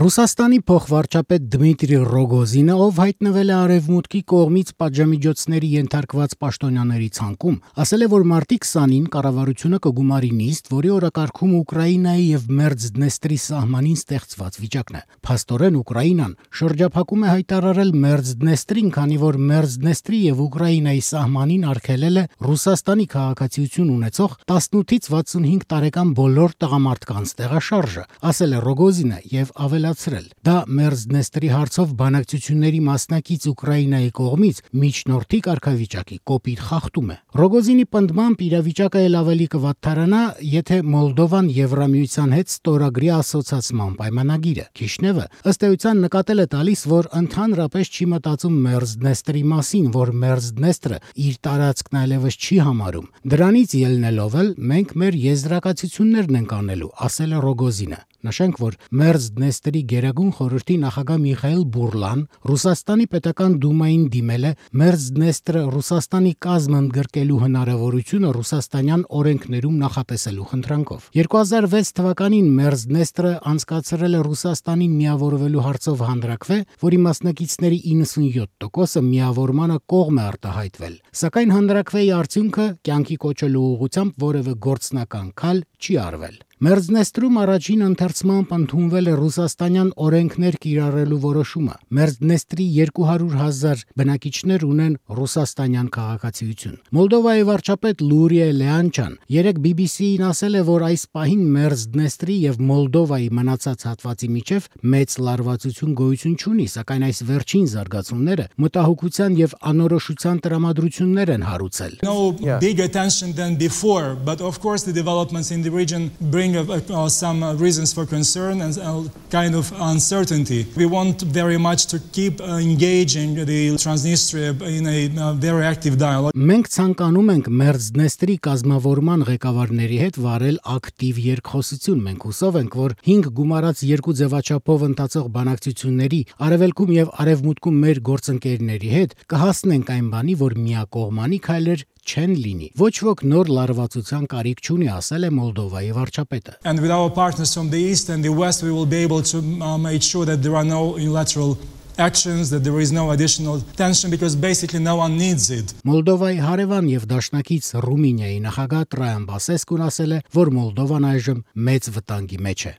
Ռուսաստանի փոխվարչապետ Դմիտրի Ռոգոզինը, ով հայտնվել է Արևմուտքի կողմից պատժամիջոցների ենթարկված պաշտոնյաների ցանկում, ասել է, որ մարտի 20-ին կառավարությունը կգումարի նիստ, որի օրակարգում Ուկրաինայի եւ Մերձդնեստրի սահմանին ստեղծված վիճակն է։ Փաստորեն Ուկրաինան շրջափակում է հայտարարել Մերձդնեստրին, քանի որ Մերձդնեստրի եւ Ուկրաինայի սահմանին արգելել է Ռուսաստանի քաղաքացիություն ունեցող 18-ից 65 տարեկան բոլոր տղամարդկանց տեղաշարժը, ասել է Ռոգոզինը եւ ավելացրել. դա Մերձդնեստրի հարցով բանակցությունների մասնակից Ուկրաինայի կողմից միջնորդի կարգավիճակի կոպիտ խախտում է։ Ռոգոզինի պնդմամբ իրավիճակը ել ավելի կվատթարանա, եթե Մոլդովան Եվրամիության հետ ստորագրի ասոցիացման պայմանագիրը։ Քիշնևը ըստ էության նկատել է տալիս, որ ընդհանրապես չի մտածում Մերձդնեստրի մասին, որ Մերձդնեստրը իր տարածքն այլևս չի համարում։ Դրանից ելնելով էլ մենք մեր եզրակացություններն ենք անելու, ասել է Ռոգոզինը։ Նշենք, որ Մերձդնեստրի գերագույն խորհրդի նախագահ Միխայիլ Բուրլան Ռուսաստանի պետական դումային դիմել է Մերձդնեստրը Ռուսաստանի կազմ ընդգրկելու հնարավորությունը ռուսաստանյան օրենքներում նախատեսելու խնդրանքով։ 2006 թվականին Մերձդնեստրը անցկացրել է Ռուսաստանին միավորվելու հարցով հանրաքվե, որի մասնակիցների 97%-ը միավորմանը կողմ է արտահայտվել։ Սակայն հանրաքվեի արդյունքը կյանքի կոչելու ուղղությամբ որևէ գործնական քայլ չի արվել։ Մերձդնեստրում առաջին ընթերցմամբ ընդունվել է ռուսաստանյան օրենքներ կիրառելու որոշումը։ Մերձդնեստրի 200,000 բնակիչներ ունեն ռուսաստանյան քաղաքացիություն։ Մոլդովայի վարչապետ Լուրիա Լեանչան երեկ BBC-ին ասել է, որ այս պահին Մերձդնեստրի եւ Մոլդովայի մնացած հատվածի միջև մեծ լարվածություն գոյություն չունի, սակայն այս վերջին զարգացումները մտահոգության եւ անորոշության տրամադրություններ են հարուցել։ Bigger tension than before, but of course the developments in the region bring some reasons for concern and kind of uncertainty. We want very much to keep engaging the Transnistria in a very active dialogue. Մենք ցանկանում ենք Մերձդնեստրի կազմավորման ղեկավարների հետ վարել ակտիվ երկխոսություն։ Մենք հուսով ենք, որ 5 գումարած 2 ձևաչափով ընթացող բանակցությունների արևելքում եւ արևմուտքում մեր գործընկերների հետ կհասնենք այն բանի, որ միակողմանի քայլեր չեն լինի։ Ոչ ոք նոր լարվածության կարիք չունի, ասել է Մոլդովայի վարչապետը։ And with our partners from the east and the west we will be able to make sure that there are no unilateral actions, that there is no additional tension because basically no one needs it. Մոլդովայի հարևան եւ դաշնակից Ռումինիայի նախագահ Տրայան Բասեսկուն ասել է, որ Մոլդովան այժմ մեծ վտանգի մեջ է։